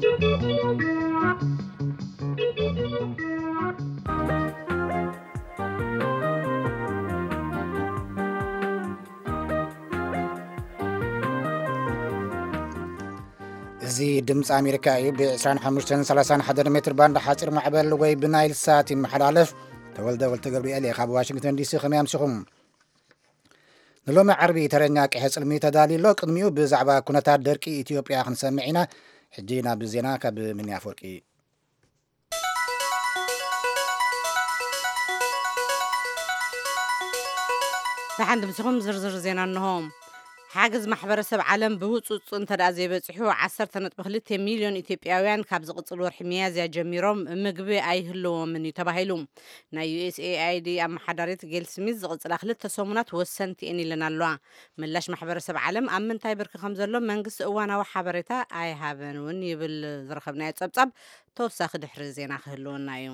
እዚ ድምፂ ኣሜሪካ እዩ። ብ ዕስራን ሓሙሽተን ሰላሳን ሓደ ሜትር ባንድ ሓፂር ማዕበል ወይ ብናይል ሳት ይመሓላለፍ። ተወልደ ወልተ ገብርኤል እየ ካብ ዋሽንግተን ዲሲ። ከመይ ኣምሲኹም? ንሎሚ ዓርቢ ተረኛ ቅሐ ጽልሚ ተዳልዩ ኣሎ። ቅድሚኡ ብዛዕባ ኩነታት ደርቂ ኢትዮጵያ ክንሰምዕ ኢና። ሕጂ ናብ ዜና ካብ ምንያ ኣፈወርቂ። ደሓን ድምስኹም ዝርዝር ዜና እንሆ። ሓገዝ ማሕበረሰብ ዓለም ብህጹጽ እንተ ደኣ ዘይበጺሑ፣ ዓሰርተ ነጥቢ ክልተ ሚልዮን ኢትዮጵያውያን ካብ ዝቕጽል ወርሒ ሚያዝያ ጀሚሮም ምግቢ ኣይህልዎምን እዩ ተባሂሉ። ናይ ዩ ኤስ ኤ ኣይ ዲ ኣመሓዳሪት ጌል ስሚዝ ዝቕጽላ ክልተ ሰሙናት ወሰንቲ እየን ኢለን ኣለዋ። ምላሽ ማሕበረሰብ ዓለም ኣብ ምንታይ ብርኪ ከም ዘሎ መንግስቲ እዋናዊ ሓበሬታ ኣይሃበን እውን ይብል ዝረኸብናዮ ጸብጻብ። ተወሳኺ ድሕሪ ዜና ክህልወና እዩ።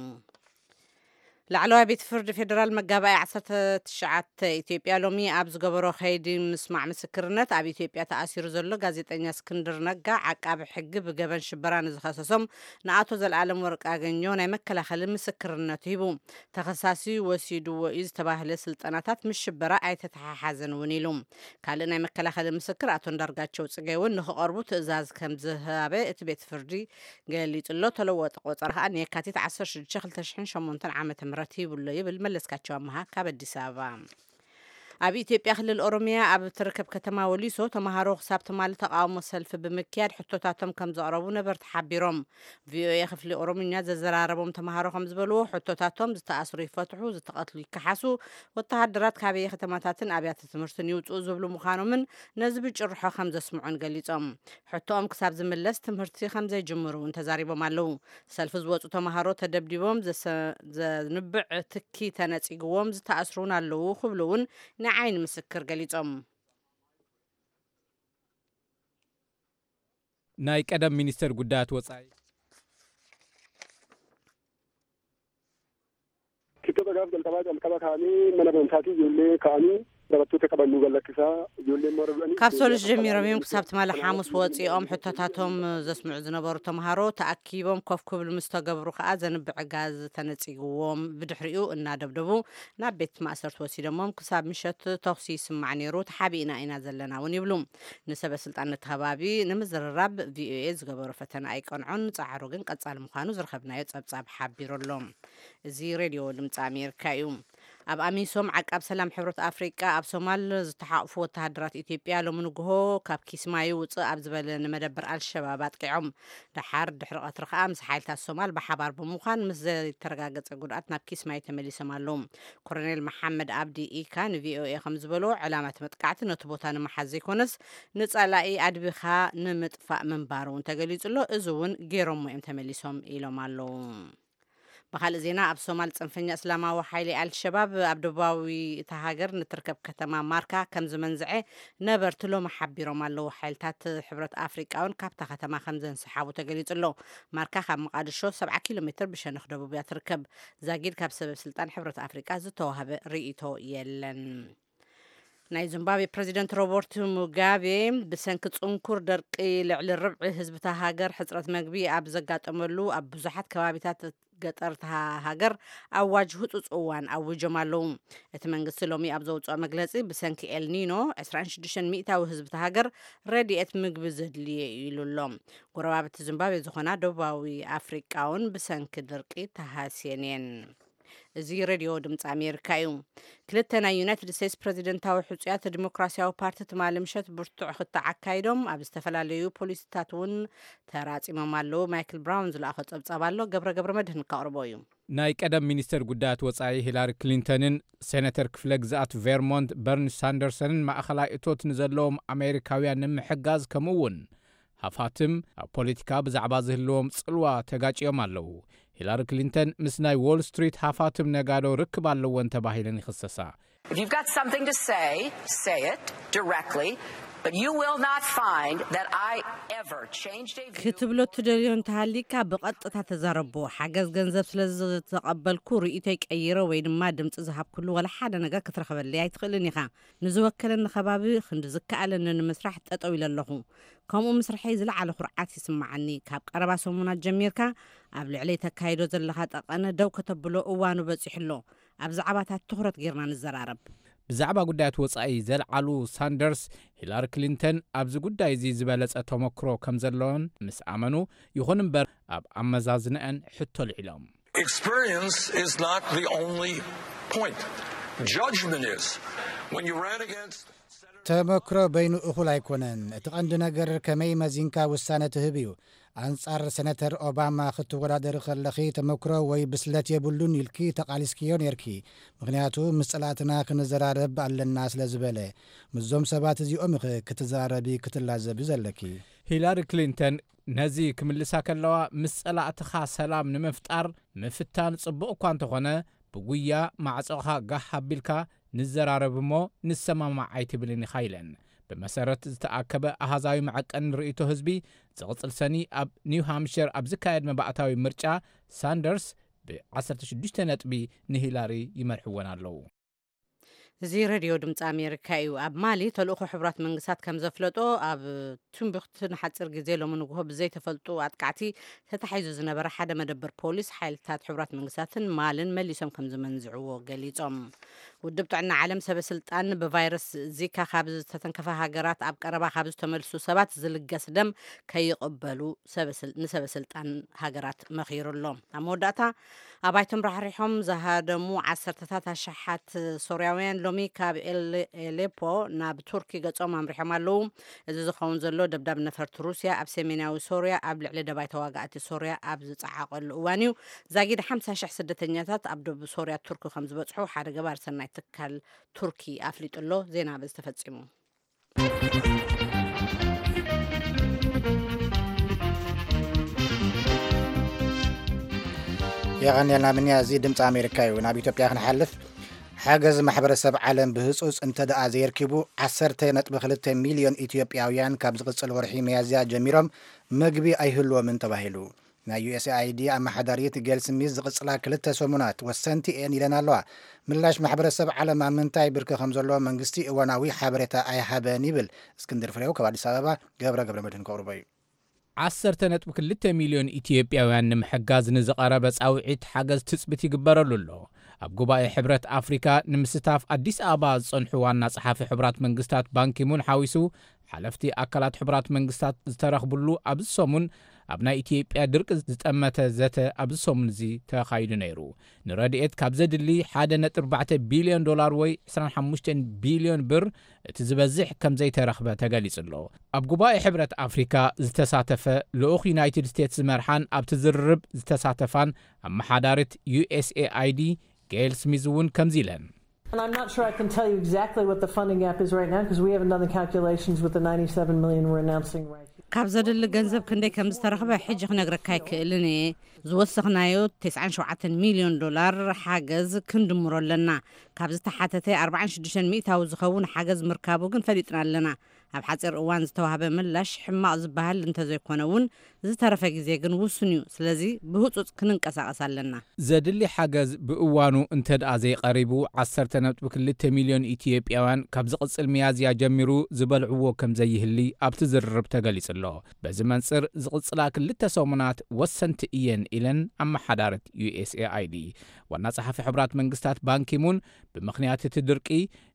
ላዕለዋይ ቤት ፍርዲ ፌደራል መጋባእያ ዓሰርተ ትሽዓተ ኢትዮጵያ ሎሚ ኣብ ዝገበሮ ከይዲ ምስማዕ ምስክርነት ኣብ ኢትዮጵያ ተኣሲሩ ዘሎ ጋዜጠኛ እስክንድር ነጋ ዓቃቢ ሕጊ ብገበን ሽበራ ንዝኸሰሶም ንኣቶ ዘለኣለም ወርቅኣገኘሁ ናይ መከላኸሊ ምስክርነት ሂቡ። ተኸሳሲ ወሲድዎ እዩ ዝተባህለ ስልጠናታት ምስ ሽበራ ኣይተተሓሓዘን እውን ኢሉ። ካልእ ናይ መከላኸሊ ምስክር ኣቶ እንዳርጋቸው ጽጌ እውን ንክቐርቡ ትእዛዝ ከም ዝሃበ እቲ ቤት ፍርዲ ገሊጹ ኣሎ። ተለወጠ ቆጸራ ከኣ ንየካቲት ዓሰርተ ሽዱሽተ ክልተ ሽሕን ሸሞንተን ዓመተ ምህረት ይብሎ ይብል መለስካቸው ኣመሃ ካብ ኣዲስ ኣበባ። ኣብ ኢትዮጵያ ክልል ኦሮሚያ ኣብ እትርከብ ከተማ ወሊሶ ተምሃሮ ክሳብ ትማሊ ተቃውሞ ሰልፊ ብምክያድ ሕቶታቶም ከም ዘቕረቡ ነበርቲ ሓቢሮም። ቪኦኤ ክፍሊ ኦሮምኛ ዘዘራረቦም ተምሃሮ ከም ዝበልዎ ሕቶታቶም ዝተኣስሩ ይፈትሑ፣ ዝተቐትሉ ይከሓሱ፣ ወተሃደራት ካበየ ከተማታትን ኣብያተ ትምህርትን ይውፅኡ ዝብሉ ምዃኖምን ነዚ ብጭርሖ ከም ዘስምዑን ገሊጾም። ሕቶኦም ክሳብ ዝምለስ ትምህርቲ ከም ዘይጅምሩ እውን ተዛሪቦም ኣለዉ። ሰልፊ ዝወጹ ተምሃሮ ተደብዲቦም፣ ዘሰ-፣ ዘንብዕ ትኪ ተነጺግዎም፣ ዝተኣስሩ እውን ኣለዉ ክብሉ እውን ንዓይኒ ምስክር ገሊጾም። ናይ ቀደም ሚኒስተር ጉዳያት ወጻኢ Kitaaba gaaf jalqabaa jalqaba kaanii mana barumsaatii ijoollee kaanii taphattoota qaban nu gallakkisaa ijoolleen immoo arrabanii ካብ ሶሉስ ጀሚሮም እዮም ክሳብ ትማሊ ሓሙስ ወፂኦም ሕቶታቶም ዘስምዑ ዝነበሩ ተምሃሮ ተኣኪቦም ኮፍ ክብሉ ምስ ተገብሩ ከዓ ዘንብዕ ጋዝ ተነፂግዎም ብድሕሪኡ እናደብደቡ ናብ ቤት ማእሰርቲ ወሲዶሞም ክሳብ ምሸት ተኹሲ ይስማዕ ነይሩ ተሓቢእና ኢና ዘለና እውን ይብሉ። ንሰበ ስልጣን ነቲ ከባቢ ንምዝርራብ ቪኦኤ ዝገበሮ ፈተነ ኣይቀንዖን ፃዕሩ ግን ቀፃሊ ምዃኑ ዝረኸብናዮ ፀብፃብ ሓቢሩ ኣሎ። እዚ ሬድዮ ድምፂ ኣሜሪካ እዩ። ኣብ ኣሚሶም ዓቃብ ሰላም ሕብረት ኣፍሪቃ ኣብ ሶማል ዝተሓቑፉ ወተሃደራት ኢትዮጵያ ሎሚ ንግሆ ካብ ኪስማዩ ውፅእ ኣብ ዝበለ ንመደበር ኣልሸባብ ኣጥቂዖም። ደሓር ድሕሪ ቀትሪ ከዓ ምስ ሓይልታት ሶማል ብሓባር ብምዃን ምስ ዘይተረጋገፀ ጉድኣት ናብ ኪስማዩ ተመሊሶም ኣለዉ። ኮሎኔል መሓመድ ኣብዲ ኢካ ንቪኦኤ ከም ዝበሎ ዕላማ እቲ መጥቃዕቲ ነቲ ቦታ ንምሓዝ ዘይኮነስ ንፀላኢ ኣድቢኻ ንምጥፋእ ምንባሩ እውን ተገሊፁ ኣሎ። እዚ እውን ገይሮሞ እዮም ተመሊሶም ኢሎም ኣለዉ። ብኻልእ ዜና ኣብ ሶማል ፅንፈኛ እስላማዊ ሓይሊ ኣልሸባብ ኣብ ደቡባዊ እታ ሃገር ንትርከብ ከተማ ማርካ ከም ዝመንዝዐ ነበርቲ ሎሚ ሓቢሮም ኣለዉ። ሓይልታት ሕብረት ኣፍሪቃ እውን ካብታ ከተማ ከም ዘንሰሓቡ ተገሊጹ ኣሎ። ማርካ ካብ መቓድሾ ሰብዓ ኪሎ ሜትር ብሸነኽ ደቡብ እያ ትርከብ። ዛጊድ ካብ ሰበብ ስልጣን ሕብረት ኣፍሪቃ ዝተዋህበ ርእይቶ የለን። ናይ ዚምባብዌ ፕረዚደንት ሮበርት ሙጋቤ ብሰንኪ ጽንኩር ደርቂ ልዕሊ ርብዒ ህዝቢ እታ ሃገር ሕጽረት መግቢ ኣብ ዘጋጠመሉ ኣብ ብዙሓት ከባቢታት ገጠር እታ ሃገር ኣዋጅ ህጹጽ እዋን ኣዊጆም ኣለዉ። እቲ መንግስቲ ሎሚ ኣብ ዘውጽኦ መግለጺ ብሰንኪ ኤልኒኖ ዕስራን ሽዱሽተን ሚእታዊ ህዝቢ እታ ሃገር ረድኤት ምግቢ ዘድልየ እዩ ኢሉ ኣሎ። ጎረባብቲ ዚምባብዌ ዝኾና ደቡባዊ ኣፍሪቃ እውን ብሰንኪ ድርቂ ተሃስየን እየን። እዚ ሬድዮ ድምፂ ኣሜሪካ እዩ። ክልተ ናይ ዩናይትድ ስቴትስ ፕረዚደንታዊ ሕፁያት ዲሞክራሲያዊ ፓርቲ ትማሊ ምሸት ብርቱዕ ክትዕ ኣካይዶም ኣብ ዝተፈላለዩ ፖሊሲታት እውን ተራፂሞም ኣለዉ። ማይክል ብራውን ዝለኣኾ ፀብፃብ ኣሎ፣ ገብረ ገብረ መድህን ከቕርቦ እዩ። ናይ ቀደም ሚኒስተር ጉዳያት ወጻኢ ሂላሪ ክሊንተንን ሴነተር ክፍለ ግዝኣት ቬርሞንት በርኒ ሳንደርሰንን ማእኸላይ እቶት ንዘለዎም ኣሜሪካውያን ንምሕጋዝ ከምኡ እውን ሃፋትም ኣብ ፖለቲካ ብዛዕባ ዝህልዎም ጽልዋ ተጋጭዮም ኣለዉ። ሂላሪ ክሊንተን ምስ ናይ ዎል ስትሪት ሃፋትም ነጋዶ ርክብ ኣለወን ተባሂለን ይኽሰሳ። If you've got something to say, say it directly. But you will not find that I ever changed a view. ክትብሎ ትደልዮ እንተሃሊካ ብቐጥታ ተዛረቦ። ሓገዝ ገንዘብ ስለ ዝተቐበልኩ ርእይቶይ ቀይረ ወይ ድማ ድምፂ ዝሃብኩሉ ወላ ሓደ ነገር ክትረኽበለይ ኣይትኽእልን ኢኻ። ንዝወከለኒ ከባቢ ክንዲ ዝከኣለኒ ንምስራሕ ጠጠው ኢለ ኣለኹ። ከምኡ ምስርሐይ ዝለዓለ ኩርዓት ይስምዓኒ። ካብ ቀረባ ሰሙናት ጀሚርካ ኣብ ልዕለይ ተካይዶ ዘለኻ ጠቐነ ደው ከተብሎ እዋኑ በፂሑ ኣሎ። ኣብ ዛዕባታት ትኹረት ጌርና ንዘራረብ። ብዛዕባ ጉዳያት ወጻኢ ዘልዓሉ ሳንደርስ፣ ሂላሪ ክሊንተን ኣብዚ ጉዳይ እዚ ዝበለጸ ተመክሮ ከም ዘለወን ምስ ኣመኑ፣ ይኹን እምበር ኣብ ኣመዛዝነአን ሕቶ ልዒሎም። Experience is not the only point. Judgment is. When you ran against ተመክሮ በይኑ እኹል ኣይኮነን። እቲ ቀንዲ ነገር ከመይ መዚንካ ውሳነ ትህብ እዩ። ኣንጻር ሰነተር ኦባማ ክትወዳደሪ ከለኺ ተመክሮ ወይ ብስለት የብሉን ኢልኪ ተቓሊስክዮ ነይርኪ። ምኽንያቱ ምስ ጸላእትና ክንዘራረብ ኣለና ስለ ዝበለ። ምስዞም ሰባት እዚኦም ኢኺ ክትዘራረቢ ክትላዘቢ ዘለኪ። ሂላሪ ክሊንተን ነዚ ክምልሳ ከለዋ፣ ምስ ጸላእትኻ ሰላም ንምፍጣር ምፍታን ጽቡቕ እኳ እንተኾነ፣ ብጉያ ማዕጾኻ ጋህ ኣቢልካ ንዘራረብ እሞ ንሰማማዕ ኣይትብልን ኢኻ ኢለን። ብመሰረት ዝተኣከበ ኣሃዛዊ መዐቀኒ ርእይቶ ህዝቢ፣ ዝቕጽል ሰኒ ኣብ ኒው ሃምሽር ኣብ ዝካየድ መባእታዊ ምርጫ፣ ሳንደርስ ብ16 ነጥቢ ንሂላሪ ይመርሕወን ኣለዉ። እዚ ሬድዮ ድምፂ ኣሜሪካ እዩ። ኣብ ማሊ ተልእኾ ሕቡራት መንግስታት ከም ዘፍለጦ፣ ኣብ ቱምቡክቱ ንሓፂር ግዜ ሎሚ ንግሆ ብዘይተፈልጡ ኣጥቃዕቲ ተታሒዙ ዝነበረ ሓደ መደበር ፖሊስ ሓይልታት ሕቡራት መንግስታትን ማልን መሊሶም ከም ዝመንዝዕዎ ገሊጾም። ውድብ ጥዕና ዓለም ሰበ ስልጣን ብቫይረስ ዚካ ካብ ዝተተንከፈ ሃገራት ኣብ ቀረባ ካብ ዝተመልሱ ሰባት ዝልገስ ደም ከይቕበሉ ሰበ ስል- ንሰበ ስልጣን ሃገራት መኺሩ ኣሎ። ኣብ መወዳእታ ኣባይቶም ራሕሪሖም ዝሃደሙ ዓሰርተታት ኣሽሓት ሶርያውያን ሎሚ ካብ ኤል- ኤሌፖ ናብ ቱርኪ ገጾም ኣምሪሖም ኣለዉ። እዚ ዝኸውን ዘሎ ደብዳብ ነፈርቲ ሩስያ ኣብ ሰሜናዊ ሶርያ ኣብ ልዕሊ ደባይ ተዋጋእቲ ሶርያ ኣብ ዝጸዓቐሉ እዋን እዩ። ዛጊድ ሓምሳ ሽሕ ስደተኛታት ኣብ ደቡብ ሶርያ ቱርኪ ከም ዝበጽሑ ሓደ ገባር ሰናይ ትካል ቱርኪ ኣፍሊጡ ኣሎ። ዜና በዚ ተፈጺሙ። የቐንየልና ምንያ፣ እዚ ድምፂ ኣሜሪካ እዩ። ናብ ኢትዮጵያ ክንሓልፍ፣ ሓገዝ ማሕበረሰብ ዓለም ብህፁፅ እንተ ደኣ ዘየርኪቡ፣ ዓሰርተ ነጥቢ ክልተ ሚልዮን ኢትዮጵያውያን ካብ ዝቕፅል ወርሒ መያዝያ ጀሚሮም ምግቢ ኣይህልዎምን ተባሂሉ። ናይ ዩኤስኤኣይዲ ኣመሓዳሪት ጌል ስሚዝ ዝቕፅላ ክልተ ሰሙናት ወሰንቲ እየን ኢለን ኣለዋ። ምላሽ ማሕበረሰብ ዓለም ኣብ ምንታይ ብርኪ ከም ዘሎ መንግስቲ እዋናዊ ሓበሬታ ኣይሃበን ይብል። እስክንድር ፍሬው ካብ ኣዲስ ኣበባ፣ ገብረ ገብረ መድህን ከቕርቦ እዩ። ዓሰርተ ነጥቢ ክልተ ሚልዮን ኢትዮጵያውያን ንምሕጋዝ ንዝቐረበ ጻውዒት ሓገዝ ትጽቢት ይግበረሉ ኣሎ። ኣብ ጉባኤ ሕብረት ኣፍሪካ ንምስታፍ ኣዲስ ኣበባ ዝጸንሑ ዋና ጸሓፊ ሕቡራት መንግስታት ባንኪሙን ሓዊሱ ሓለፍቲ ኣካላት ሕቡራት መንግስታት ዝተረኽብሉ ኣብዚ ሰሙን ኣብ ናይ ኢትዮጵያ ድርቂ ዝጠመተ ዘተ ኣብዚ ሰሙን እዚ ተኻይዱ ነይሩ። ንረድኤት ካብ ዘድሊ ሓደ ነጥቢ ኣርባዕተ ቢልዮን ዶላር ወይ ዕስራን ሓሙሽተን ቢልዮን ብር እቲ ዝበዝሕ ከም ዘይተረኽበ ተገሊጹ ኣሎ። ኣብ ጉባኤ ሕብረት ኣፍሪካ ዝተሳተፈ ልኡኽ ዩናይትድ ስቴትስ ዝመርሓን ኣብቲ ዝርርብ ዝተሳተፋን ኣመሓዳሪት ዩኤስኤኣይዲ ጌል ስሚዝ እውን ከምዚ ኢለን። And I'm not sure I can tell you exactly what the funding gap is right now because we haven't done the calculations with the ninety-seven million we're announcing right here. ካብ ዘድሊ ገንዘብ ክንደይ ከም ዝተረኽበ ሕጂ ክነግረካ ኣይክእልን እየ። ዝወሰኽናዮ ተስዓን ሸውዓተን ሚልዮን ዶላር ሓገዝ ክንድምሮ ኣለና። ካብ ዝተሓተተ ኣርባዓን ሽዱሽተን ሚእታዊ ዝኸውን ሓገዝ ምርካቡ ግን ፈሊጥና ኣለና። ኣብ ሓፂር እዋን ዝተዋህበ ምላሽ ሕማቕ ዝበሃል እንተዘይኮነ እውን፣ ዝተረፈ ግዜ ግን ውሱን እዩ። ስለዚ ብህፁፅ ክንንቀሳቐስ ኣለና። ዘድሊ ሓገዝ ብእዋኑ እንተ ደኣ ዘይቐሪቡ፣ ዓሰርተ ነጥቢ ክልተ ሚልዮን ኢትዮጵያውያን ካብ ዝቕጽል ሚያዝያ ጀሚሩ ዝበልዕዎ ከም ዘይህሊ ኣብቲ ዝርርብ ተገሊጹ ኣሎ። በዚ መንጽር ዝቕጽላ ክልተ ሰሙናት ወሰንቲ እየን ኢለን ኣመሓዳሪት ዩኤስኤኣይዲ። ዋና ጸሓፊ ሕቡራት መንግስታት ባንኪሙን ብምኽንያት እቲ ድርቂ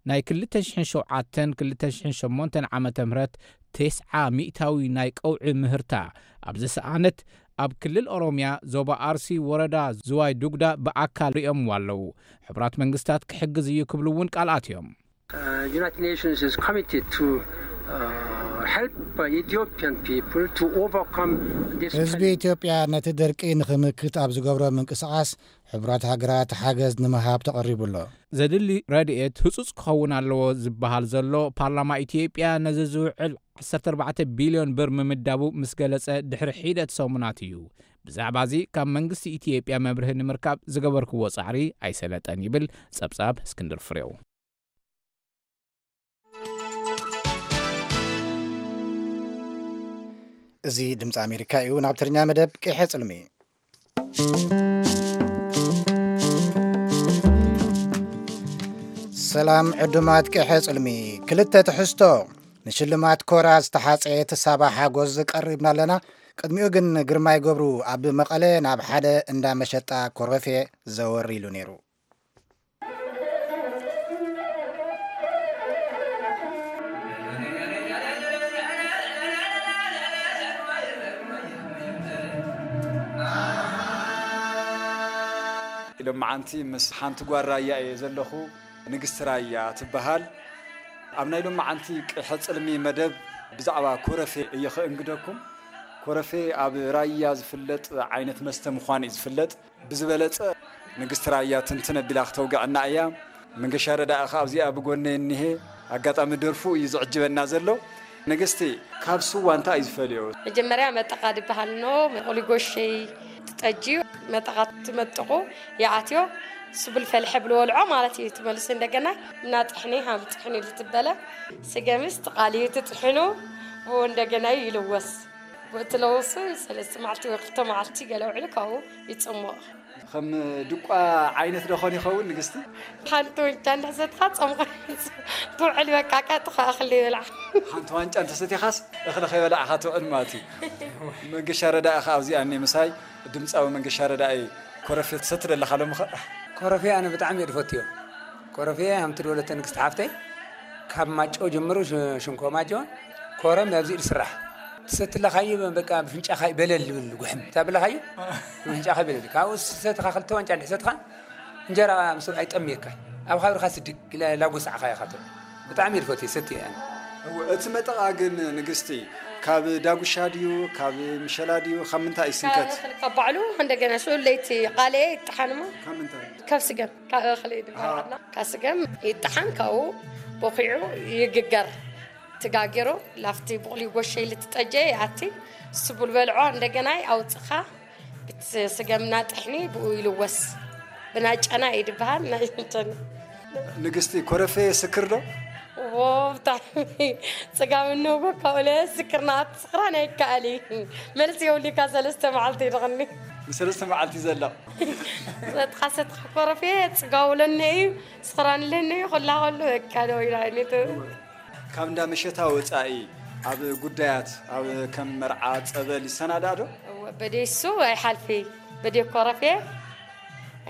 ናይ ክልተ ሽሕን ሸውዓተን ክልተ ሽሕን ሸሞንተን ዓመተ ምህረት ተስዓ ሚእታዊ ናይ ቀውዒ ምህርታ ኣብ ዝሰኣነት ኣብ ክልል ኦሮምያ ዞባ ኣርሲ ወረዳ ዝዋይ ዱጉዳ ብኣካል ሪኦምዎ ኣለዉ። ሕቡራት መንግስታት ክሕግዝ እዩ ክብሉ እውን ቃል ኣትዮም። Uh, United Nations is committed to uh, help uh, Ethiopian people to overcome this ህዝቢ challenge. ኢትዮጵያ ነቲ ድርቂ ንኽምክት ኣብ ዝገብሮ ምንቅስቓስ ሕቡራት ሃገራት ሓገዝ ንምሃብ ተቐሪቡ ኣሎ። ዘድሊ ረድኤት ህጹጽ ክኸውን ኣለዎ ዝበሃል ዘሎ ፓርላማ ኢትዮጵያ ነዚ ዝውዕል ዓሰርተ ኣርባዕተ ቢልዮን ብር ምምዳቡ ምስ ገለጸ ድሕሪ ሒደት ሰሙናት እዩ። ብዛዕባ እዚ ካብ መንግስቲ ኢትዮጵያ መብርሂ ንምርካብ ዝገበርክዎ ጻዕሪ ኣይሰለጠን ይብል ጸብጻብ እስክንድር ፍሬው። እዚ ድምፂ ኣሜሪካ እዩ። ናብ ትግርኛ መደብ ቅሐ ጽልሚ። ሰላም ዕዱማት ቅሐ ጽልሚ። ክልተ ትሕዝቶ። ንሽልማት ኮራ ዝተሓፀየት ሳባ ሓጎስ ቀሪብና ኣለና። ቅድሚኡ ግን ግርማይ ገብሩ ኣብ መቐለ ናብ ሓደ እንዳ መሸጣ ኮረፌ ዘወር ኢሉ ነይሩ። ሎመዓንቲ ምስ ሓንቲ ጓል ራያ እየ ዘለኹ። ንግስቲ ራያ ትበሃል። ኣብ ናይ ሎመዓንቲ ቅሐ ጽልሚ መደብ ብዛዕባ ኮረፌ እየ ኸእንግደኩም። ኮረፌ ኣብ ራያ ዝፍለጥ ዓይነት መስተ ምዃኑ እዩ ዝፍለጥ። ብዝበለጸ ንግስቲ ራያ ትንትን ኣቢላ ክተውግዐና እያ። መንገሻ ረዳኢ ኸኣ ኣብዚኣ ብጎነይ እኒሄ። ኣጋጣሚ ደርፉ እዩ ዝዕጅበና ዘሎ። ንግስቲ፣ ካብ ስዋ እንታይ እዩ ዝፈልዮ? መጀመርያ መጠቓ ድበሃል ኖ፣ መቑሊ ጎሸይ ትጠጅዩ፣ መጠቓ ትመጥቑ፣ ይኣትዮ፣ ስቡል ፈልሐ ብልወልዖ ማለት እዩ። ትመልሱ እንደገና እና ጥሕኒ፣ ሃም ጥሕኒ ልትበለ፣ ስገምስ ትቓልዩ ትጥሕኑ፣ ብኡ እንደገና ይልወስ። ብኡ ትለውሱ፣ ሰለስተ መዓልቲ ወይ ክልተ መዓልቲ ገለ ውዕሉ ካብኡ ይጽሞቕ። ከም ድቋ ዓይነት ዶ ኾን ይኸውን ንግስቲ? ሓንቲ ዋንጫ እንድሕሰትኻ ጾምኻ ትውዕል፣ በቃ ቀጥታ እኽሊ ይብላዕ። ሓንቲ ዋንጫ እንተሰቲኻስ እኽሊ ከይበላዕኻ ትውዕል ማለት እዩ። መንገሻ ረዳኢ ኸዓ ኣብዚኣ እኒ ምሳይ፣ ድምፃዊ መንገሻ ረዳኢ። ኮረፌ ትሰቲ ደለኻ ሎምኸ? ኮረፌ ኣነ ብጣዕሚ እየ ዝፈትዮ። ኮረፌ ሃምቲ ድወለተ ንግስቲ ሓፍተይ ካብ ማጨው ጀምሩ፣ ሽ-፣ ሽንኮ ማጨው ኮረም ኣብዚ ዝስራሕ። ትሰትለኻዮ በቃ ብፍንጫኻ ይበለል ዝብል ጉሕም ታብለኻዮ ብፍንጫኻ ይበለል። ካብኡ ሰትኻ ክልተ ዋንጫ እንድሕር ሰትኻ እንጀራ ምስ ኣይጠምየካ ኣብ ኻብርኻ ስድግ ኢላ ላጎሳዕኻ ኢኻ ትብል። ብጣዕሚ እየ ዝፈትዮ፣ ሰትየ ኣነ። እወ፣ እቲ መጠቓ ግን ንግስቲ ካብ ዳጉሻ ድዩ፣ ካብ ምሸላ ድዩ፣ ካብ ምንታይ ይስንከት? ካብ እኽሊ፣ ካብ ባዕሉ እንደገና ሽዑ ለይቲ ቃልየ ይጠሓንሞ። ካብ ምንታይ? ካብ ስገም፣ ካብ እኽሊ ድበሃል። ካብ ስገም ይጠሓን፣ ካብኡ ቦኺዑ ይግገር። ትጋጊሩ ላፍቲ ብቑሊ ጎሸይ ልትጠጀ ይኣቲ። ስቡል በልዖ እንደገና ኣውፅኻ ብቲ ስገምና ጥሕኒ ብኡ ይልወስ። ብናጨና እዩ ድበሃል። ናይ እንትን ንግስቲ፣ ኮረፌ ስክር ዶ? ዎ፣ ብጣዕሚ ጽጋብ እንሆ ካብኡ ለስክርና ትስኽራን ኣይከኣል እዩ። መልሲ የብሉካ፣ ሰለስተ መዓልቲ ይድቕኒ። ንሰለስተ መዓልቲ ዘላ። ሰትኻ ሰትኻ ኮረፌ ጽጋቡ ለነ እዩ፣ ስኽራን ለነ እዩ፣ ኩላ ከሉ በቃ ደው ኢላ ኣይነቱ። ካብ እንዳ መሸታ ወጻኢ ኣብ ጉዳያት፣ ኣብ ከም መርዓ፣ ጸበል ይሰናዳእ ዶ? እወ፣ በደይ እሱ ኣይሓልፊ፣ በደይ ኮረፌ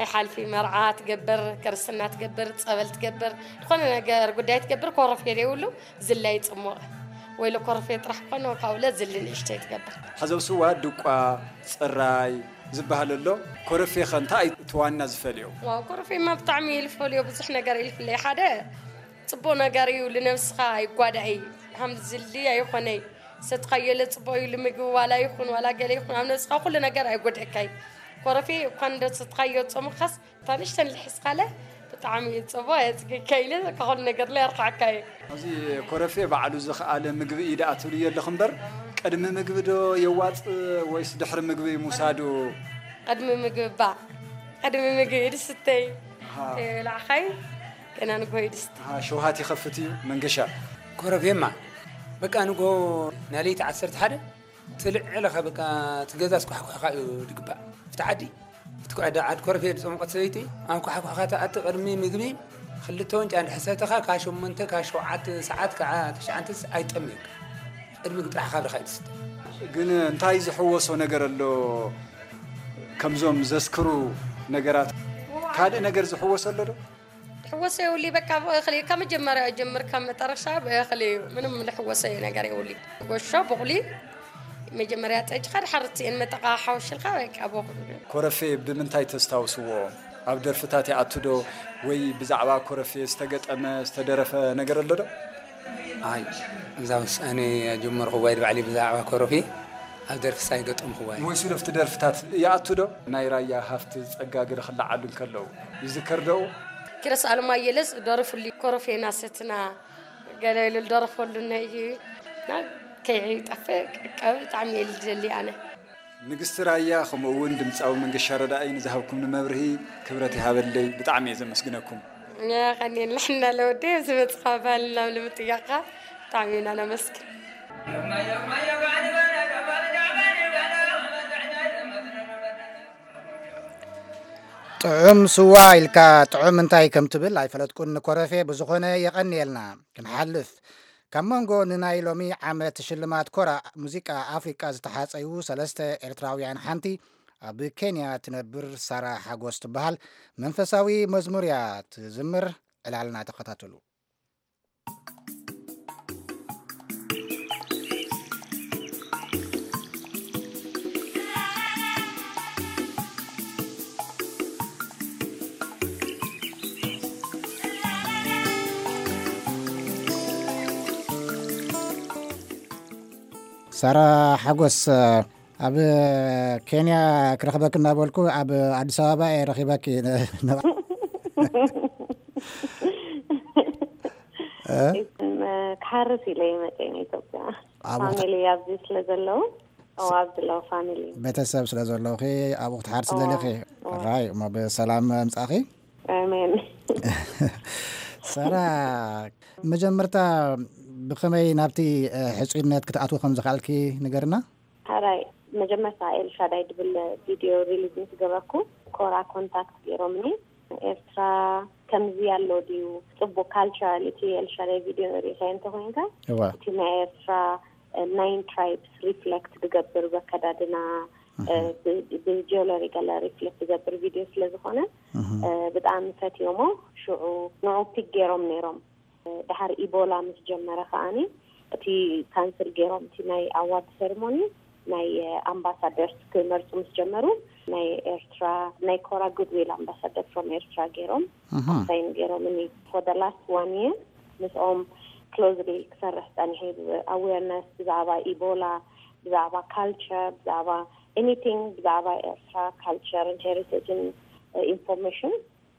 ኣይሓልፊ። መርዓ ትገብር፣ ክርስትና ትገብር፣ ጸበል ትገብር፣ ዝኾነ ነገር ጉዳይ ትገብር፣ ኮረፌ ዘይብሉ ዝላይ ጽሞቕ። ወይለ ኮረፌ ጥራሕ ኮነ፣ ካብኡ ለ ዝሊ ንእሽተይ ትገብር። ሓዘብ ስዋ፣ ድቋ፣ ጽራይ ዝበሃል ኣሎ። ኮረፌ ኸ እንታይ እቲ ዋና ዝፈልዮ? ዋው፣ ኮረፌማ ብጣዕሚ እዩ ዝፈልዮ፣ ብዙሕ ነገር እዩ ዝፍለዮ። ሓደ ጽቡቕ ነገር እዩ፣ ልነብስኻ ኣይጓዳእ እዩ። ሃም ዝሊ ኣይኾነይ። ሰትኻዮ ለጽቡቕ እዩ፣ ልምግቢ ዋላ ይኹን፣ ዋላ ገለ ይኹን፣ ኣብ ነብስኻ ኩሉ ነገር ኣይጎድእካይ። ኮረፌ እኳ እንደ ሰትኻዮ ጾምኻስ፣ እታ ንእሽተን ልሕስኻለ፣ ብጣዕሚ እዩ ጽቡቕ፣ የጽግካ ኢለ፣ ካብ ኩሉ ነገር ላይ ኣርካዕካ እዩ። ኣብዚ ኮረፌ ባዕሉ ዝኸኣለ ምግቢ እዩ ደኣ ትብልዮ ኣለኹ እምበር፣ ቅድሚ ምግቢ ዶ የዋጽእ ወይስ ድሕሪ ምግቢ ምውሳዱ? ቅድሚ ምግቢ ባ፣ ቅድሚ ምግቢ ድስተይ። ኣሃ። ከይበላዕኻይ፣ ገና ንግሆ እዩ ድስተ። ኣሃ፣ ሸውሃት ይኸፍት እዩ መንገሻ። ኮረፌማ፣ በቃ ንግሆ ናይ ለይቲ ዓሰርተ ሓደ ትልዕለኻ፣ በቃ እቲ ገዛ ስኳሕኳሕካ እዩ ድግባእ። ኣብቲ ዓዲ፣ ኣብቲ ዓዲ፣ ዓዲ ኮረፌ ዝጸመቐት ሰበይቲ፣ ኣብ ኳሕኳሕካ ትኣቲ። ቅድሚ ምግቢ ክልተ ዋንጫ እንድሕር ሰተኻ፣ ካብ ሸሞንተ፣ ካብ ሸውዓተ ሰዓት፣ ካብ ትሽዓተ ኣይጠምየካ። ቅድሚ ምግቢ ጥራሕ ካብ ድኻ እዩ ድስተ። ግን እንታይ ዝሕወሶ ነገር ኣሎ? ከምዞም ዘስክሩ ነገራት ካልእ ነገር ዝሕወሶ ኣሎ ዶ? ትሕወሶ የብሉይ፣ በቃ ብእኽሊ ካብ መጀመርያ ጀምር ካብ መጠረሻ ብእኽሊ እዩ። ምንም ዝሕወሶ ነገር የብሉይ። ጎሾ፣ ቡቕሊ፣ መጀመርያ ጠጅኻ ድሓር እትእን መጠቓ ሓወሽልካ በቃ ብእኽሊ። ኮረፌ ብምንታይ ተስታውስዎ? ኣብ ደርፍታት ይኣቱ ዶ? ወይ ብዛዕባ ኮረፌ ዝተገጠመ፣ ዝተደረፈ ነገር ኣሎ ዶ? ኣይ፣ እዛ ውሳኔ ጀመርኩ ዋይድ ባዕሊ ብዛዕባ ኮረፌ ኣብ ደርፍስ ኣይገጠምኩዋይ። ወይ ሱደፍቲ ደርፍታት ይኣቱ ዶ? ናይ ራያ ሃፍቲ ጸጋ ገለ ክለዓሉ እንከለዉ ይዝከር ዶ? ኪሮስ ኣለማየለስ ደርፉሉ ኮረፌና ሰትና ገለ ኢሉ ዝደረፈሉ ነይ እና ከይጠፍእ ቀብ ብጣዕሚ እየ ዝደሊ ኣነ። ንግስቲ ራያ፣ ከምኡ እውን ድምፃዊ መንገሻ ረዳኢ ንዝሃብኩምኒ መብርሂ ክብረት ይሃበለይ። ብጣዕሚ እየ ዘመስግነኩም። የቐንየልና ለወዲ፣ እዚ መፅኻ ባህልና ንምጥያቕካ ብጣዕሚ ኢና ነመስግን። ጥዑም ስዋ ኢልካ ጥዑም እንታይ ከም ትብል ኣይፈለጥኩን። ንኮረፌ ብዝኾነ የቐንየልና። ክንሓልፍ፣ ካብ መንጎ ንናይ ሎሚ ዓመት ሽልማት ኮራ ሙዚቃ ኣፍሪቃ ዝተሓጸዩ ሰለስተ ኤርትራውያን ሓንቲ ኣብ ኬንያ ትነብር ሳራ ሓጎስ ትበሃል መንፈሳዊ መዝሙር እያ ትዝምር። ዕላልና ተኸታተሉ። ሳራ ሓጎስ፣ ኣብ ኬንያ ክረኽበኪ እናበልኩ ኣብ ኣዲስ ኣበባ እየ ረኺበኪ። እ? ክሓርስ ኢለ እየ መፅየ ንኢትዮጵያ። ኣብ ወቕቲ ፋሚሊ ኣብዚ ስለ ዘለዉ፣ ኦ፣ ኣብዚ ኣለዉ ፋሚሊ። ቤተሰብ ስለ ዘለውኺ ኣብኡ ክትሓርሲ እዎ፣ ደሊኺ? እዎ። ራይ፣ እሞ ብሰላም ምጻእኺ። ኣሜን። ሳራ፣ መጀመርታ ብኸመይ ናብቲ፣ እ፣ ሕጹይነት ክትኣትዊ ከም ዝኸኣልኪ ንገርና። ሕራይ፣ መጀመርታ ኤልሻዳይ ድብል ቪድዮ ሪሊዝ ምስ ገበርኩ፣ ኮራ ኮንታክት ገይሮምኒ። ኤርትራ ከምዚ ኣሎ ድዩ? ጽቡቅ ካልቸራል እቲ ኤልሻዳይ ቪድዮ ርኢኻዮ እንተኾይንካ፣ እዋ። እቲ ናይ ኤርትራ፣ እ፣ ናይን ትራይብስ ሪፍሌክት ዝገብር በከዳድና፣ እ፣ እህ። ብ-፣ ብጂዮለሪ ገለ ሪፍሌክት ዝገብር ቪድዮ ስለ ዝኾነ፣ እህ። እ፣ ብጣዕሚ ፈትዮሞ። ሽዑ ንዑ ፒክ ገይሮም ነይሮም። እ፣ ድሓር ኢቦላ ምስ ጀመረ ከኣኒ፣ እቲ ካንስል ገይሮም፣ እቲ ናይ ኣዋርድ ሴሪሞኒ ናይ፣ እ፣ ኣምባሳደርስ ክመርጹ ምስ ጀመሩ፣ ናይ ኤርትራ፣ ናይ ኮራ ጉድዊል ኣምባሳደር ፍሮም ኤርትራ ገይሮም፣ እህ። ኣሳይን ገይሮምኒ። ፎር ደ ላስት ዋን ይር ምስኦም ክሎዝሊ ክሰርሕ ጸኒሐ። ብ-፣ ኣዌርነስ ብዛዕባ ኢቦላ፣ ብዛዕባ ካልቸር፣ ብዛዕባ ኤኒቲንግ፣ ብዛዕባ ኤርትራ ካልቸርን ሄሪቴጅን፣ እ፣ ኢንፎርሜሽን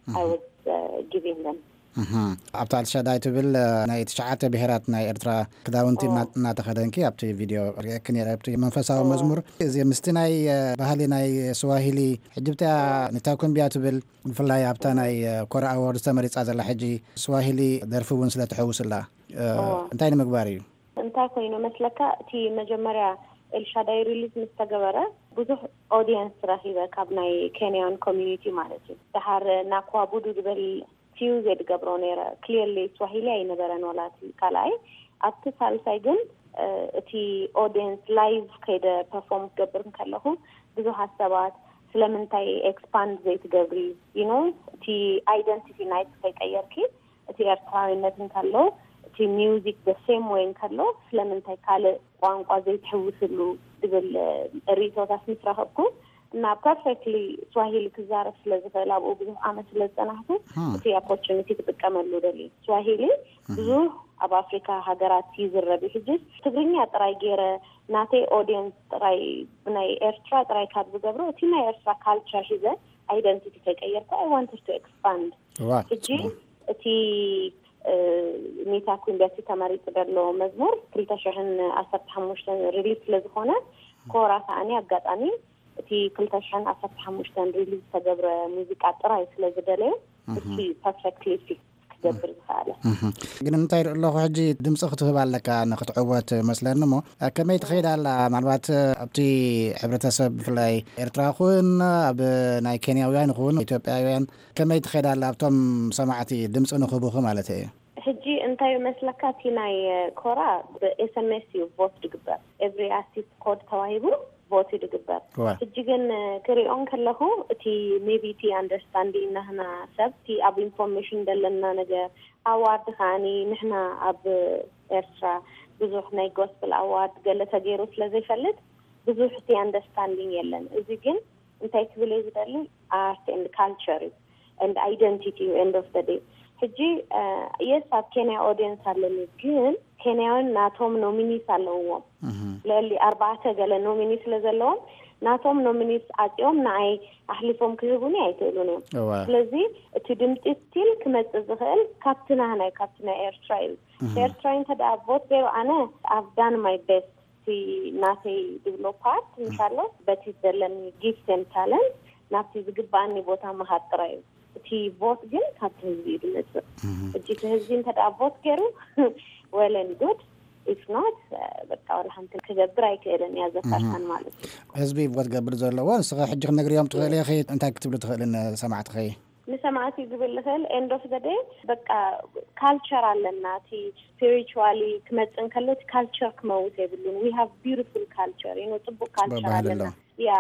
I was, uh, giving them. እህ። ኣብታ ኤልሻዳይ ትብል፣ እ፣ ናይ ትሽዓተ ብሄራት ናይ ኤርትራ ክዳውንቲ ኦ። እና-፣ እናተኸደንኪ ኣብቲ ቪድዮ ርእየኪ ነይረ። ኣብቲ መንፈሳዊ ኦ። መዝሙር፣ እዚ ምስቲ ናይ፣ እ፣ ባህሊ ናይ ስዋሂሊ፣ ሕጂ ብታ ኦ። ንታኩምቢያ ትብል፣ ብፍላይ ኣብታ ናይ፣ እ፣ ኮራ ኣዋርድ ተመሪጻ ዘላ ሕጂ ስዋሂሊ ደርፊ እውን ስለ ትሕውስላ፣ እ፣ ኦ። እንታይ ንምግባር እዩ? እንታይ ኮይኑ መስለካ፣ እቲ መጀመርያ ኤልሻዳይ ሪሊዝ ምስ ተገበረ ብዙሕ ኦዲየንስ ረኺበ፣ ካብ ናይ ኬንያን ኮሚኒቲ ማለት እዩ። ድሓር ናኳቡዱ ዝበል ፊውዝ እየ ድገብሮ ነይረ። ክሊርሊ ስዋሂሊ ኣይነበረን ዋላ እቲ ካልኣይ። ኣብቲ ሳልሳይ ግን፣ እ፣ እቲ ኦዲየንስ ላይቭ ከይደ ፐርፎርም ክገብር እንከለኹ ብዙሓት ሰባት ስለምንታይ ኤክስፓንድ ዘይትገብሪ፣ ዩ ኖ፣ እቲ ኣይደንቲቲ ናይት ከይቀየርኪ፣ እቲ ኤርትራዊነት እንከሎ፣ እቲ ሚውዚክ the same way እንከሎ፣ ስለምንታይ ካልእ ቋንቋ ዘይትሕውስሉ ዝብል፣ እ፣ ርእይቶታት ምስ ረኸብኩ፣ እና ፐርፌክትሊ ስዋሂሊ ክዛረብ ስለ ዝኽእል፣ ኣብኡ ብዙሕ ዓመት ስለ ዝጸናሕኩ፣ ሃ። እቲ ኦፖርቹኒቲ ክጥቀመሉ ደልየ። ስዋሂሊ እህ። ብዙሕ ኣብ ኣፍሪካ ሃገራት ይዝረብ እዩ። ሕጂ ትግርኛ ጥራይ ገይረ፣ ናተይ ኦዲየንስ ጥራይ፣ ብናይ ኤርትራ ጥራይ ካብ ዝገብሮ፣ እቲ ናይ ኤርትራ ካልቸር ሒዘ፣ ኣይደንቲቲ ከይቀየርኩ፣ I wanted to expand። ዋ፣ ሕጂ ጽቡቅ። እቲ፣ እ፣ ኒታ ኩምቢ እቲ ተመሪጹ ዘሎ መዝሙር ክልተ ሽሕን ዓሰርተ ሓሙሽተን ሪሊዝ ስለ ዝኾነ፣ ኮራ ከኣኒ ኣጋጣሚ እቲ ክልተ ሽሕን ዓሰርተ ሓሙሽተን ሪሊዝ ዝተገብረ ሙዚቃ ጥራይ ስለ ዝደለየ፣ እህ። እቲ ፐርፌክትሊ ፊት ክገብር ዝኸኣለ። እህ። ግን እንታይ ይርኢ ኣለኹ፣ ሕጂ ድምጺ ክትህብ ኣለካ ንክትዕወት መስለኒ እሞ፣ ከመይ ትኸይድ ኣላ? ምናልባት ኣብቲ ሕብረተሰብ ብፍላይ ኤርትራ ይኹን ኣብ ናይ ኬንያውያን ይኹን ኢትዮጵያውያን ከመይ ትኸይድ ኣላ ኣብቶም ሰማዕቲ ድምጺ ንክህቡኺ ማለት እየ? ሕጂ እንታይ መስለካ፣ እቲ ናይ ኮራ ብ ኤስ ኤም ኤስ እዩ ቮት ድግበር። ኤቭሪ ኣርቲስት ኮድ ተዋሂቡ ቮት እዩ ድግበር። ዋ። ሕጂ ግን ክሪኦ እንከለኹ፣ እቲ ሜቢ እቲ ኣንደርስታንዲንግ ናህና ሰብ፣ እቲ ኣብ ኢንፎርሜሽን ዘለና ነገር፣ ኣዋርድ ከኣኒ ንሕና ኣብ ኤርትራ ብዙሕ ናይ ጎስፕል ኣዋርድ ገለ ተገይሩ ስለ ዘይፈልጥ፣ ብዙሕ እቲ ኣንደርስታንዲንግ የለን። እዚ ግን እንታይ ክብል እየ ዝደሊ፣ ኣርት ኤንድ ካልቸር እዩ፣ ኤንድ ኣይደንቲቲ እዩ፣ ኤንድ ኦፍ ደ ዴይ። ሕጂ፣ እ፣ የስ፣ ኣብ ኬንያ ኦዲየንስ ኣለኒ፣ ግን ኬንያውያን ናቶም ኖሚኒስ ኣለውዎም። እህ። ልዕሊ ኣርባዕተ ገለ ኖሚኒ ስለ ዘለዎም፣ ናቶም ኖሚኒስ ዓጽዮም ንኣይ ኣሕሊፎም ክህቡኒ ኣይክእሉን እዮም። እዋ። ስለዚ እቲ ድምጺ ስቲል ክመጽእ ዝኽእል ካብቲ ናህናይ፣ ካብቲ ናይ ኤርትራ እዩ። እህ። ኤርትራዊ እንተ ደኣ ቮት ገይሩ፣ ኣነ I've done my best። እቲ ናተይ ድብሎ ፓርት፣ እህ። እንሻሎ፣ በቲ ዘለኒ ጊፍት ኤንድ ታለንት ናብቲ ዝግባኣኒ ቦታ ምኻድ ጥራይ እዩ። እቲ ቮት ግን ካብቲ ህዝቢ እዩ ዝመጽእ። እህ። ሕጂ እቲ ህዝቢ እንተ ደኣ ቮት ገይሩ፣ well and good፣ If not, በቃ ዋላ ሓንቲ ክገብር ኣይክእልን እያ ዘ ፋሽን ማለት እዩ። ህዝቢ ቮት ገብር ዘለዎ ንስኸ ሕጂ ክነግርዮም ትኽእል ኢኺ? እንታይ ክትብሉ ትኽእልን ሰማዕትኸይ? ንሰማዕቲ ዝብል ልኽእል end of the day በቃ ካልቸር ኣለና። እቲ ስፒሪቹዋሊ ክመጽእ እንከሎ እቲ ካልቸር ክመውት የብሉን። We have beautiful culture, you know፣ ጽቡቅ ካልቸር ኣለና። ያ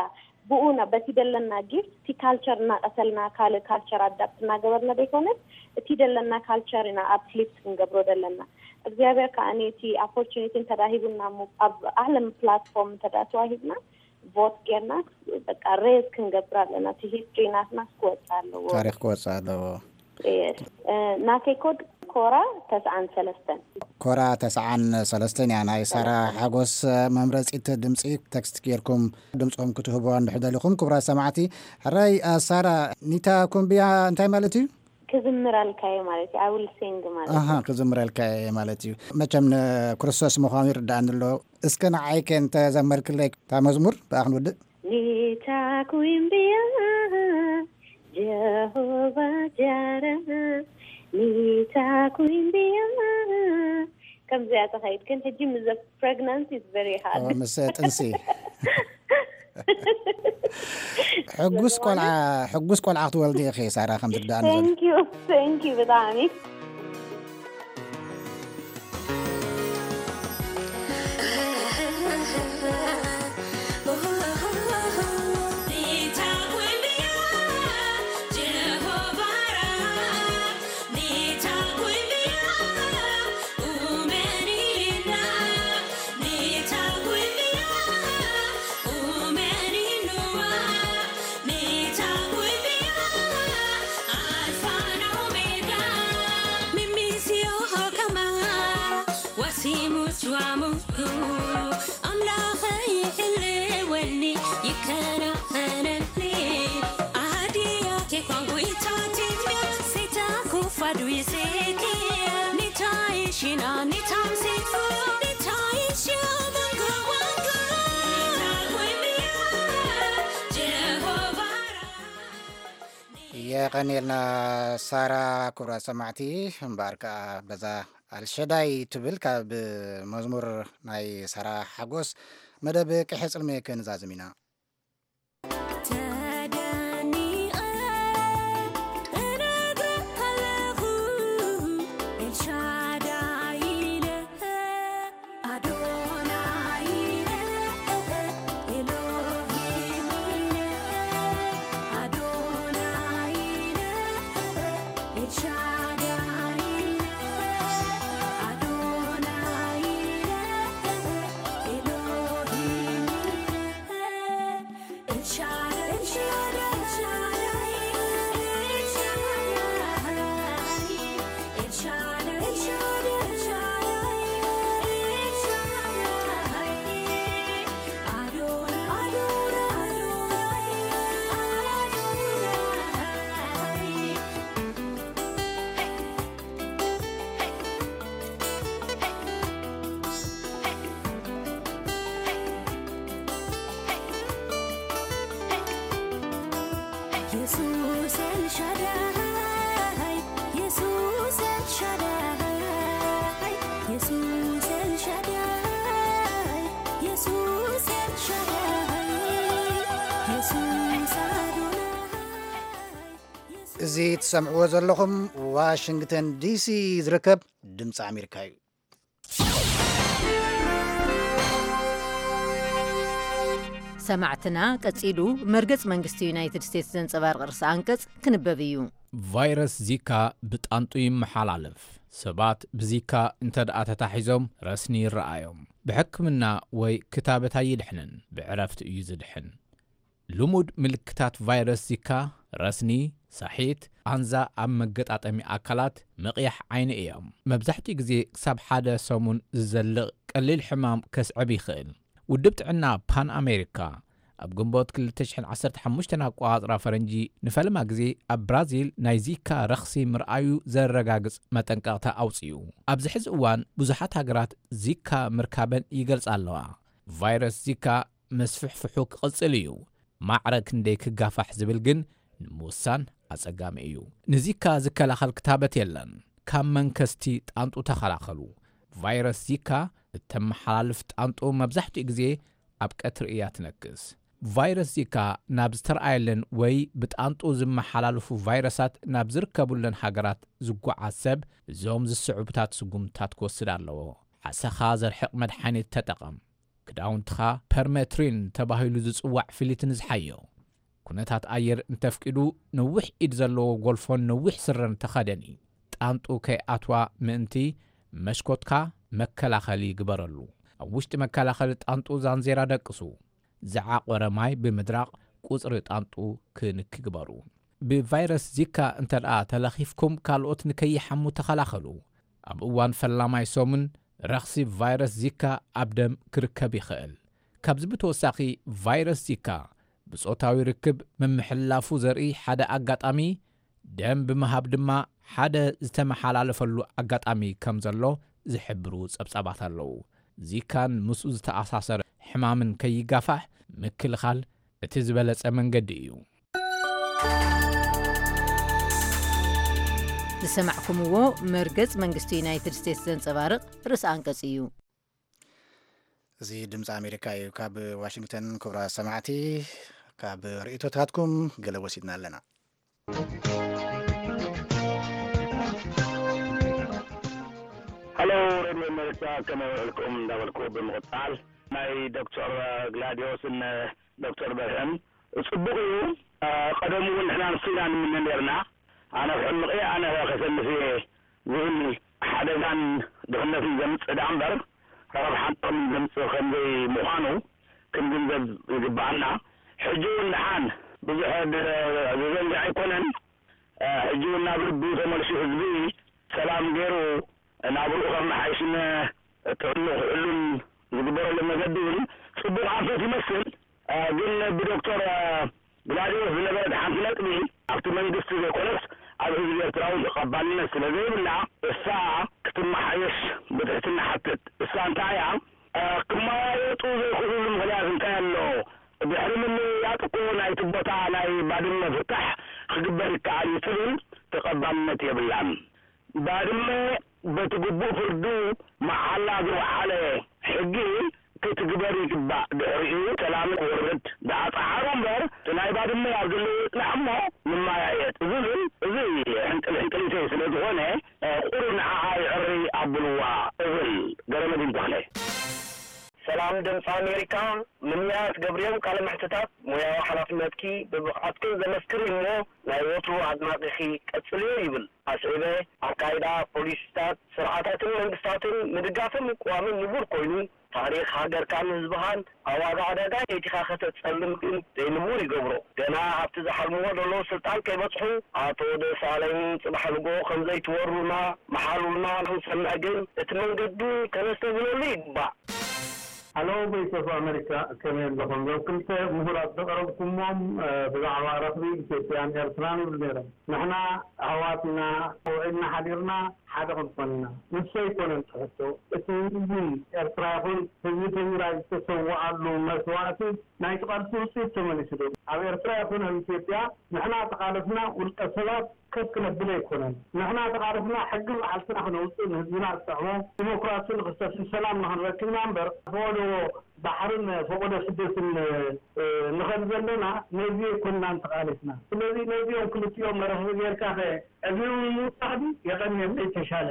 ብኡ በቲ ደለና ጊፍት እቲ ካልቸር እናቀሰልና ካልእ ካልቸር ኣዳፕት እናገበርና ዘይኮነስ እቲ ደለና ካልቸር ኢና ኣፕሊፍት ክንገብሮ ደለና። እግዚኣብሔር ከዓ እቲ ኦፖርቹኒቲ እንተዳ ሂቡና እሞ ኣብ ዓለም ፕላትፎርም እንተዳ ተዋሂብና ቮት ጌርና በቃ ሬዝ ክንገብር ኣለና። እቲ ሂስትሪ ናትና ክወፅእ ኣለዎ። ታሪኽ ክወፅእ ኣለዎ። ናተይ ኮድ ኮራ ተስዓን ሰለስተን። ኮራ ተስዓን ሰለስተን እያ። ናይ ሳራ ሓጎስ መምረፂት ድምፂ ቴክስት ጌርኩም ድምፅኹም ክትህብዋ እንድሕር ደሊኹም ክቡራት ሰማዕቲ። ሕራይ ሳራ፣ ኒታ ኩምብያ እንታይ ማለት እዩ? ክዝምረልካ እየ ማለት እዩ። I will sing ማለት እዩ። ክዝምረልካ እየ ማለት እዩ። መቸም ንክርስቶስ ምዃኑ ይርዳእኒ ኣሎ። እስከ ንዓይከ እንተዘመርክለይ እታ መዝሙር ብኣ ክንውድእ። ኒታ ኩምብያ ጀሆቫ ጃራ ኒታ ኩምብያ ከምዚኣ ተኸይድ ግን ሕጂ ምስ ፕሬግናንሲ is very hard። ምስ ጥንሲ ሕጉስ ቆልዓ ሕጉስ ቆልዓ ክትወልዲ ኢኺ ሳራ ከም ዝርዳእኒ ዘሎ። Thank you, thank you ብጣዕሚ። የቐንየልና ሳራ። ክቡራት ሰማዕቲ፣ እምበኣር ከኣ በዛ ኣልሸዳይ ትብል ካብ መዝሙር ናይ ሳራ ሓጎስ መደብ ቅሒ ጽልሚ ክንዛዝም ኢና። እዚ ትሰምዕዎ ዘለኹም ዋሽንግተን ዲሲ ዝርከብ ድምፂ ኣሜሪካ እዩ። ሰማዕትና፣ ቀጺሉ መርገጽ መንግስቲ ዩናይትድ ስቴትስ ዘንጸባርቕ ርእሰ ኣንቀጽ ክንበብ እዩ። ቫይረስ ዚካ ብጣንጡ ይመሓላለፍ። ሰባት ብዚካ እንተ ደኣ ተታሒዞም ረስኒ ይረኣዮም። ብሕክምና ወይ ክታበት ኣይድሕንን፣ ብዕረፍቲ እዩ ዝድሕን። ልሙድ ምልክታት ቫይረስ ዚካ ረስኒ፣ ሳሒት፣ ቃንዛ ኣብ መገጣጠሚ ኣካላት፣ ምቕያሕ ዓይኒ እዮም። መብዛሕትኡ ግዜ ክሳብ ሓደ ሰሙን ዝዘልቕ ቀሊል ሕማም ከስዕብ ይኽእል። ውድብ ጥዕና ፓን ኣሜሪካ ኣብ ግንቦት ክልተ ሽሕን ዓሰርተ ሓሙሽተን ኣቆጻጽራ ፈረንጂ ንፈለማ ግዜ ኣብ ብራዚል ናይ ዚካ ረኽሲ ምርኣዩ ዘረጋግጽ መጠንቀቕታ ኣውጺኡ። ኣብዚ ሕዚ እዋን ብዙሓት ሃገራት ዚካ ምርካበን ይገልጻ ኣለዋ። ቫይረስ ዚካ መስፍሕፍሑ ክቕጽል እዩ። ማዕረ ክንደይ ክጋፋሕ ዝብል ግን ንምውሳን ኣጸጋሚ እዩ። ንዚካ ዝከላኸል ክታበት የለን። ካብ መንከስቲ ጣንጡ ተኸላኸሉ። ቫይረስ ዚካ እተመሓላልፍ ጣንጡ መብዛሕትኡ ግዜ ኣብ ቀትሪ እያ ትነክስ። ቫይረስ ዚካ ናብ ዝተረኣየለን ወይ ብጣንጡ ዝመሓላለፉ ቫይረሳት ናብ ዝርከቡለን ሃገራት ዝጓዓዝ ሰብ እዞም ዝስዕቡታት ስጉምትታት ክወስድ ኣለዎ። ዓሰኻ ዘርሕቕ መድሓኒት ተጠቐም። ክዳውንትኻ ፐርሜትሪን ተባሂሉ ዝጽዋዕ ፍሊት ንዝሓዮ። ኩነታት ኣየር እንተፍቂዱ፣ ነዊሕ ኢድ ዘለዎ ጎልፎን ነዊሕ ስረን ተኸደኒ። ጣንጡ ከይኣትዋ ምእንቲ፣ መስኮትካ መከላኸሊ ግበረሉ። ኣብ ውሽጢ መከላኸሊ ጣንጡ ዛንዜራ ደቅሱ። ዝዓቖረ ማይ ብምድራቕ ቁጽሪ ጣንጡ ክንኪ ግበሩ። ብቫይረስ ዚካ እንተ ደኣ ተለኺፍኩም፣ ካልኦት ንከይሓሙ ተኸላኸሉ። ኣብ እዋን ፈላማይ ሰሙን፣ ረኽሲ ቫይረስ ዚካ ኣብ ደም ክርከብ ይኽእል። ካብዚ ብተወሳኺ፣ ቫይረስ ዚካ ብጾታዊ ርክብ ምምሕልላፉ ዘርኢ ሓደ ኣጋጣሚ፣ ደም ብምሃብ ድማ ሓደ ዝተመሓላለፈሉ ኣጋጣሚ ከም ዘሎ ዝሕብሩ ጸብጻባት ኣለዉ። ዚካን ምስኡ ዝተኣሳሰረ ሕማምን ከይጋፋሕ ምክልኻል እቲ ዝበለጸ መንገዲ እዩ። ዝሰማዕኩምዎ መርገጽ መንግስቲ ዩናይትድ ስቴትስ ዘንጸባርቕ ርእሰ ኣንቀጽ እዩ። እዚ ድምፂ ኣሜሪካ እዩ። ካብ ዋሽንግተን ክቡራት ሰማዕቲ፣ ካብ ርእይቶታትኩም ገለ ወሲድና ኣለና። ሃሎ ሬድዮ ኣሜሪካ፣ ከመይ ውዕልኩም እንዳበልኩ ብምቕፃል፣ ናይ ዶክተር ግላዲዮስን ዶክተር በርሀን ፅቡቕ እዩ። ቀደሙ እውን ንሕና ንሱ ኢና ንምነ ነርና። ኣነ ክሕምቕ እየ፣ ኣነ ከሰንፍ እየ ዝብል ሓደጋን ድኽነትን ዘምፅእ ደኣ እምበር ረብሓን ጥቕምን ዘምፅእ ከምዘይ ምዃኑ ክንግንዘብ ይግብኣና። ሕጂ እውን ደሓን ብዙሕ ዘዘንግዕ ኣይኮነን። ሕጂ እውን ናብ ልቡ ተመልሱ ህዝቢ ሰላም ገይሩ ናብርኡ ከመሓይሽን ጥዕንኡ ክሕሉን ዝግበረሉ መገዲ እውን ፅቡቕ ኣንፈት ይመስል። ግን ብዶክተር ግላዲዮስ ዝነበረት ሓንቲ ነጥቢ ኣብቲ መንግስቲ ዘይኮነስ ኣብ ህዝቢ ኤርትራ እውን ተቐባልነት ስለ ዘይብላ እሳ ክትመሓየሽ ብትሕትና ሓትት። እሳ እንታይ እያ ክመያየጡ ዘይክእሉሉ ምኽንያት እንታይ ኣሎ? ድሕሪ ምምይያጥ እኮ ናይቲ ቦታ ናይ ባድመ ፍታሕ ክግበር ይከኣል እዩ ትብል ተቐባልነት የብላን። ባድመ በቲ ግቡእ ፍርዱ መዓላ ዝወዓለ ሕጊ ክትግበር ይግባእ። ድሕሪኡ ሰላም ክወርድ ደኣ ጸዓሩ እምበር እቲ ናይ ባድመ ኣብ ዘለዎ ይጽናሕ እሞ ንመያየጥ ዝብል እዚ ሕንቅል ሕንቅሊተይ ስለ ዝኾነ ቁሩብ ንዓኣ ይዕሪ ኣብልዋ እብል። ገረመዲን ተኽለ። ሰላም ድምፂ ኣሜሪካ፣ ምንያት ገብርዮም ቃለ መሕትታት ሞያዊ ሓላፍነትኪ ብብቕዓትክን ዘመስክር እዩ እሞ ናይ ወትሩ ኣድናቒኺ ቀጽልዮ ይብል ኣስዒበ። ኣካይዳ ፖሊሲታት ስርዓታትን መንግስታትን ምድጋፍን ምቅዋምን ንቡር ኮይኑ ታሪኽ ሃገርካን ህዝብኻን ኣብ ዋጋ ዕዳጋ ከይቲኻ ከተጸልም ግን ዘይንቡር ይገብሮ። ገና ኣብቲ ዝሓልምዎ ዘለዉ ስልጣን ከይበጽሑ ኣቶ ደሳለኝ ጽባሕ ንግሆ ከምዘይትወሩና ምሓሉልና ክንሰምዕ ግን እቲ መንገዲ ከነስተብህለሉ ይግባእ። Hello Voice of America፣ ከመይ ኣለኹም? እዞም ክልተ ምሁራት ዘቕረብኩሞም ብዛዕባ ረኽቢ ኢትዮጵያን ኤርትራን ይብሉ ነይሮም። ንሕና ኣሕዋት ኢና፣ ውዒልና ሓዲርና ሓደ ክንኮን ኢና። ንሱ ኣይኮነን እቲ ሕቶ። እቲ ህዝቢ ኤርትራ ይኹን ህዝቢ ትግራይ ዝተሰወኣሉ መስዋእቲ ናይቲ ቃልሲ ውፅኢት ተመሊሱ ዶ? ኣብ ኤርትራ ይኹን ኣብ ኢትዮጵያ ንሕና ተቓለስና ውልቀ ሰባት ከፍ ክነብል ኣይኮነን። ንሕና ተቓለስና ሕጊ መዓልትና ክነውፅእ፣ ንህዝብና ዝጠቕሞ ዲሞክራሲ ንክሰፍን ሰላም ንክንረክብ ኢና እምበር ፈቐዶ ባሕርን ፈቐዶ ስደትን ንኸድ ዘለና ነዚ ኣይኮንናን ተቓሊስና። ስለዚ ነዚኦም ክልቲኦም መራኽቢ ጌርካ ከ ዕድሚኦም ምውሳኽ ድዩ? የቐንየለይ ተሻለ።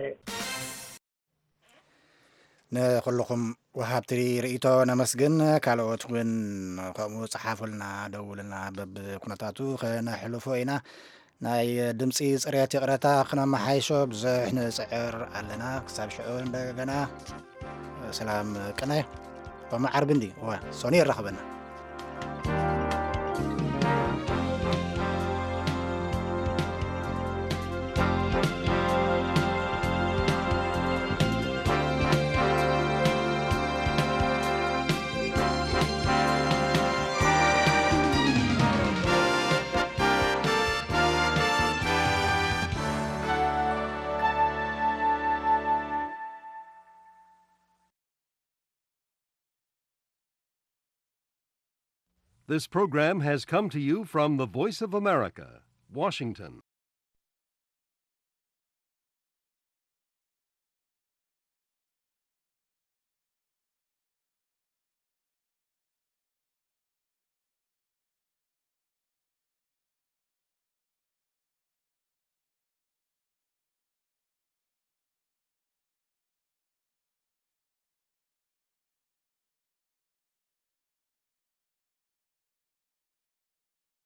ንኹልኹም ወሃብቲ ርእይቶ ነመስግን። ካልኦት እውን ከምኡ ጸሓፉልና፣ ደውሉልና፣ በብኩነታቱ ከነሕልፎ ኢና። ናይ ድምጺ ጽሬት ይቕረታ ክነመሓይሾ ብዙሕ ንጽዕር ኣለና። ክሳብ ሽዑ እንደገና ሰላም ቅነ። ሎሚ ዓርቢ እንዲ እወ ሶኒ የራኽበና። This program has come to you from the Voice of America, Washington.